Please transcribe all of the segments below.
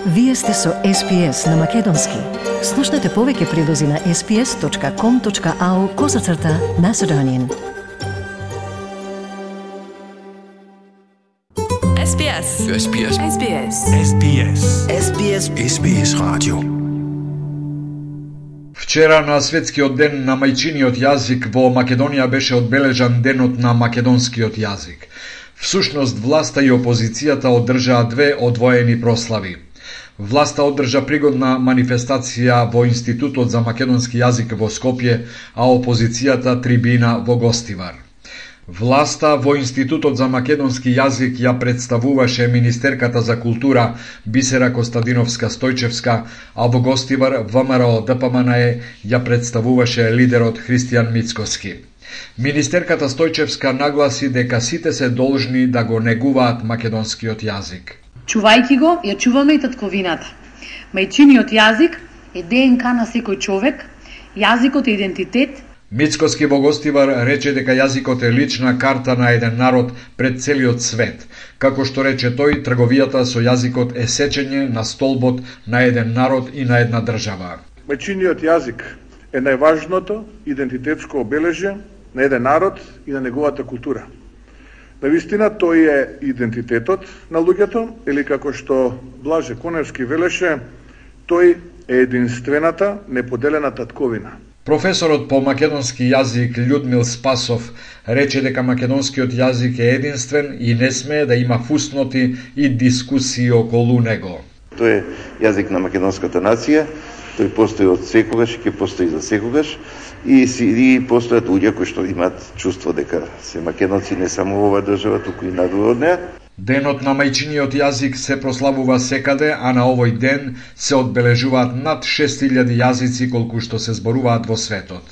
Вие сте со SPS на Македонски. Слушнете повеќе прилози на sps.com.au/Macedonian. SBS. SBS. SBS. SBS. SBS. SBS радио. Вчера на светскиот ден на мајчиниот јазик во Македонија беше одбележан денот на македонскиот јазик. Всушност, власта и опозицијата одржаа две одвоени прослави. Власта одржа пригодна манифестација во Институтот за македонски јазик во Скопје, а опозицијата трибина во Гостивар. Власта во Институтот за македонски јазик ја представуваше министерката за култура Бисера Костадиновска-Стојчевска, а во Гостивар ВМРО ДПМНЕ ја представуваше лидерот Христијан Мицкоски. Министерката Стојчевска нагласи дека сите се должни да го негуваат македонскиот јазик. Чувајќи го, ја чуваме и татковината. Мајчиниот јазик е ДНК на секој човек, јазикот е идентитет. Мицкоски во Гостивар рече дека јазикот е лична карта на еден народ пред целиот свет. Како што рече тој, трговијата со јазикот е сечење на столбот на еден народ и на една држава. Мајчиниот јазик е најважното идентитетско обележје на еден народ и на неговата култура. Навистина тој е идентитетот на луѓето, или како што Блаже Коневски велеше, тој е единствената, неподелена татковина. Професорот по македонски јазик Људмил Спасов рече дека македонскиот јазик е единствен и не смее да има фусноти и дискусии околу него. Тој е јазик на македонската нација, тој постои од секогаш и ќе постои за секогаш, и постојат луѓе кои што имаат чувство дека се македонци не само во оваа држава, туку и надвор од неа. Денот на мајчиниот јазик се прославува секаде, а на овој ден се одбележуваат над 6000 јазици колку што се зборуваат во светот.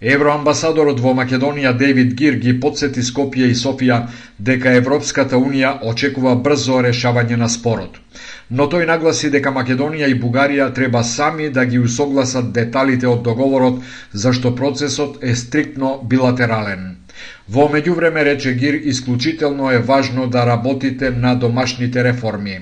Евроамбасадорот во Македонија Дейвид Гир ги потсети Скопје и Софија дека Европската Унија очекува брзо решавање на спорот. Но тој нагласи дека Македонија и Бугарија треба сами да ги усогласат деталите од договорот, зашто процесот е стриктно билатерален. Во меѓувреме, рече Гир, исклучително е важно да работите на домашните реформи.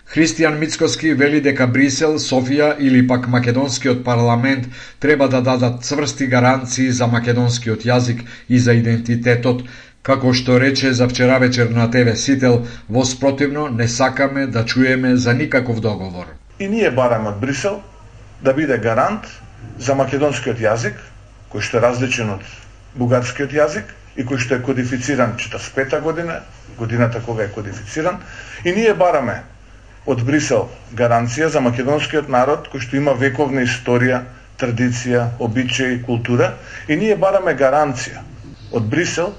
Христијан Мицкоски вели дека Брисел, Софија или пак македонскиот парламент треба да дадат цврсти гаранции за македонскиот јазик и за идентитетот, како што рече за вчера вечер на ТВ Сител, во спротивно не сакаме да чуеме за никаков договор. И ние бараме од Брисел да биде гарант за македонскиот јазик, кој што е различен од бугарскиот јазик и кој што е кодифициран 45-та година, годината кога е кодифициран, и ние бараме од Брисел гаранција за македонскиот народ кој што има вековна историја, традиција, обичаи, култура, и ние бараме гаранција од Брисел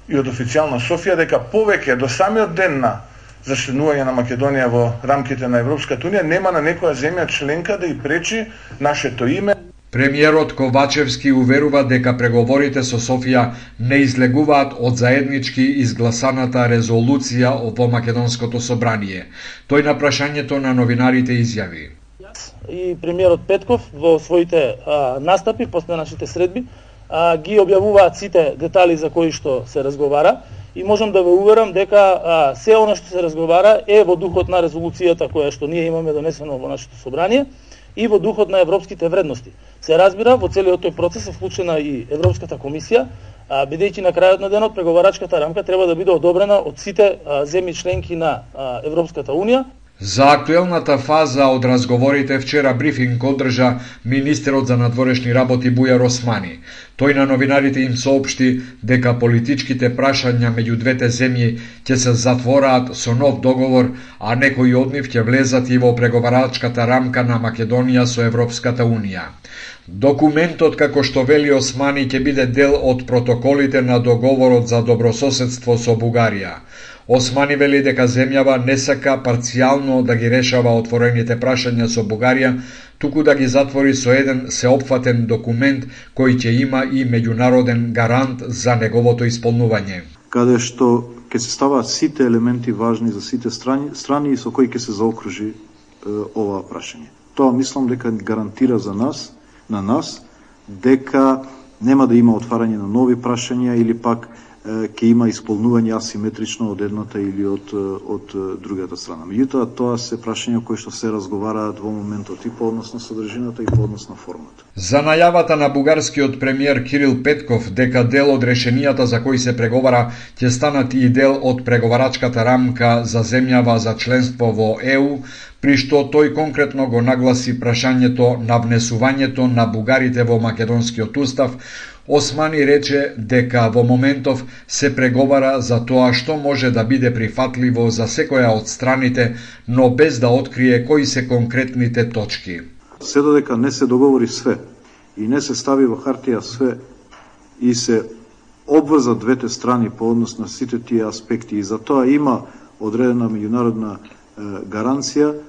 и од официјална Софија дека повеќе до самиот ден на зачленување на Македонија во рамките на Европската Унија нема на некоја земја членка да и пречи нашето име. Премиерот Ковачевски уверува дека преговорите со Софија не излегуваат од заеднички изгласаната резолуција во Македонското собрание. Тој на прашањето на новинарите изјави: И премиерот Петков во своите настапи после нашите средби ги објавуваат сите детали за кои што се разговара, и можам да ве уверам дека се она што се разговара е во духот на резолуцијата која што ние имаме донесено во нашето собрание и во духот на европските вредности. Се разбира, во целиот тој процес е вклучена и Европската комисија, бидејќи на крајот на денот преговарачката рамка треба да биде одобрена од сите земји членки на Европската Унија. За актуелната фаза од разговорите вчера брифинг одржа министерот за надворешни работи Бујар Османи. Тој на новинарите им соопшти дека политичките прашања меѓу двете земји ќе се затвораат со нов договор, а некои од нив ќе влезат и во преговарачката рамка на Македонија со Европската Унија. Документот, како што вели Османи, ќе биде дел од протоколите на договорот за добрососедство со Бугарија. Османи вели дека земјава не сака парцијално да ги решава отворените прашања со Бугарија, туку да ги затвори со еден сеопфатен документ кој ќе има и меѓународен гарант за неговото исполнување. Каде што ќе се ставаат сите елементи важни за сите страни и со кои ќе се заокружи ова прашање. Тоа мислам дека гарантира за нас, дека нема да има отварање на нови прашања или пак ќе има исполнување асиметрично од едната или од другата страна. Меѓутоа, тоа се прашања кои што се разговараат во моментот и по однос на содржината и по однос на формата. За најавата на бугарскиот премиер Кирил Петков дека дел од решенијата за кои се преговара ќе станат и дел од преговарачката рамка за земјава за членство во ЕУ, при што тој конкретно го нагласи прашањето на внесувањето на бугарите во македонскиот устав, Османи рече дека во моментов се преговара за тоа што може да биде прифатливо за секоја од страните, но без да открие кои се конкретните точки. Се додека не се договори све и не се стави во хартија све и се обврзат двете страни по однос на сите тие аспекти и за тоа има одредена меѓународна гаранција,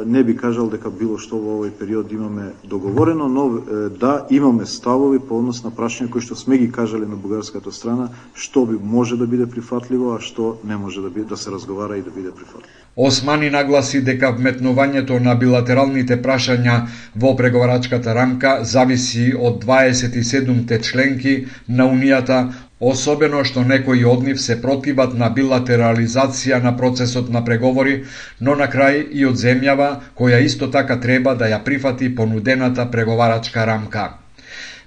не би кажал дека било што во овој период имаме договорено, но да имаме ставови по однос на прашања кои што сме ги кажале на бугарската страна, што би може да биде прифатливо, а што не може да се разговара и да биде прифатливо. Османи нагласи дека вметнувањето на билатералните прашања во преговарачката рамка зависи од 27-те членки на Унијата, особено што некои од нив се противат на билатерализација на процесот на преговори, но на крај и од земјава која исто така треба да ја прифати понудената преговарачка рамка.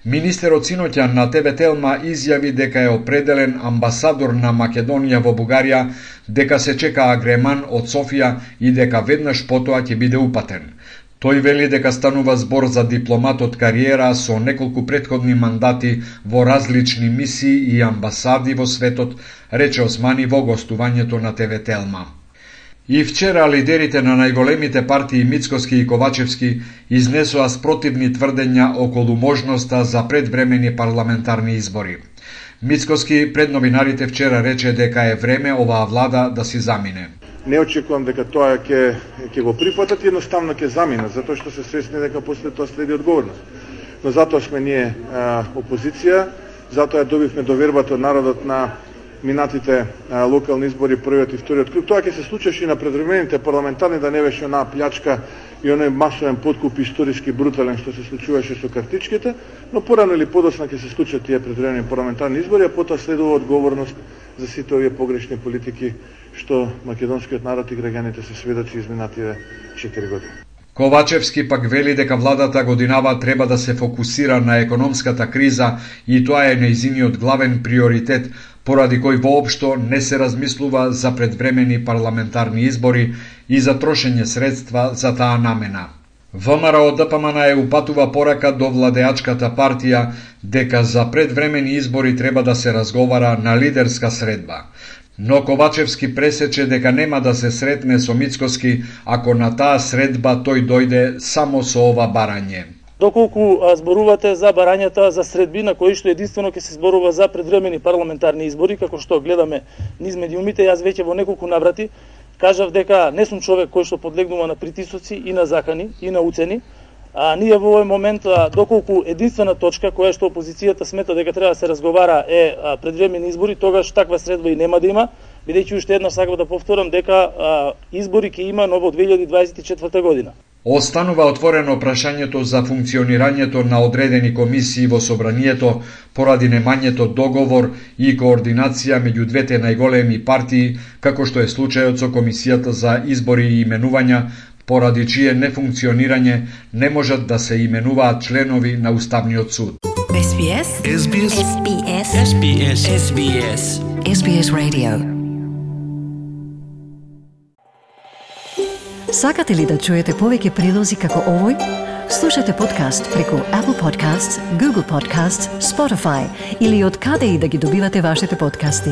Министерот синоќа на ТВ Телма изјави дека е определен амбасадор на Македонија во Бугарија, дека се чека агреман од Софија и дека веднаш потоа ќе биде упатен. Тој вели дека станува збор за дипломат од кариера со неколку претходни мандати во различни мисии и амбасади во светот, рече Османи во гостувањето на ТВ Телма. И вчера лидерите на најголемите партии Мицкоски и Ковачевски изнесоа спротивни тврдења околу можноста за предвремени парламентарни избори. Мицкоски пред новинарите вчера рече дека е време оваа влада да си замине. Не очекувам дека тоа ќе го прифатат, едноставно ќе замине, затоа што се свесни дека после тоа следи одговорност. Но затоа сме ние опозиција, затоа добивме довербата од народот на минатите локални избори, првиот и вториот круг. Тоа ќе се случеше и на предвремените парламентарни, да не беше онаа плячка и оној масовен подкуп историски брутален што се случуваше со картичките, но порано или подоцна ќе се случат тие предвремени парламентарни избори, а потоа следува одговорност за сите овие погрешни политики што македонскиот народ и граѓаните се сведочи изминативе 4 години. Ковачевски пак вели дека владата годинава треба да се фокусира на економската криза и тоа е нејзиниот главен приоритет, поради кој воопшто не се размислува за предвремени парламентарни избори и за трошење средства за таа намена. ВМРО ДПМН упатува порака до владеачката партија дека за предвремени избори треба да се разговара на лидерска средба. Но Ковачевски пресече дека нема да се сретне со Мицкоски ако на таа средба тој дојде само со ова барање. Доколку зборувате за барањата за средби на кои што единствено ќе се зборува за предвремени парламентарни избори, како што гледаме низ медиумите, јас веќе во неколку наврати кажав дека не сум човек кој што подлегнува на притисоци и на закани и на уцени. Ние во овој момент, доколку единствена точка која што опозицијата смета дека треба да се разговара е предвремени избори, тогаш таква средба и нема да има, бидејќи уште еднаш сакам да повторам дека избори ќе има ново 2024 година. Останува отворено прашањето за функционирањето на одредени комисии во собранието поради немањето договор и координација меѓу двете најголеми партии, како што е случајот со Комисијата за избори и именувања, поради чие нефункционирање не можат да се именуваат членови на Уставниот суд. SBS SBS SBS SBS SBS SBS Radio. Сакате ли да чуете повеќе прилози како овој? Слушате подкаст преку Apple Podcasts, Google Podcasts, Spotify или од каде и да ги добивате вашите подкасти.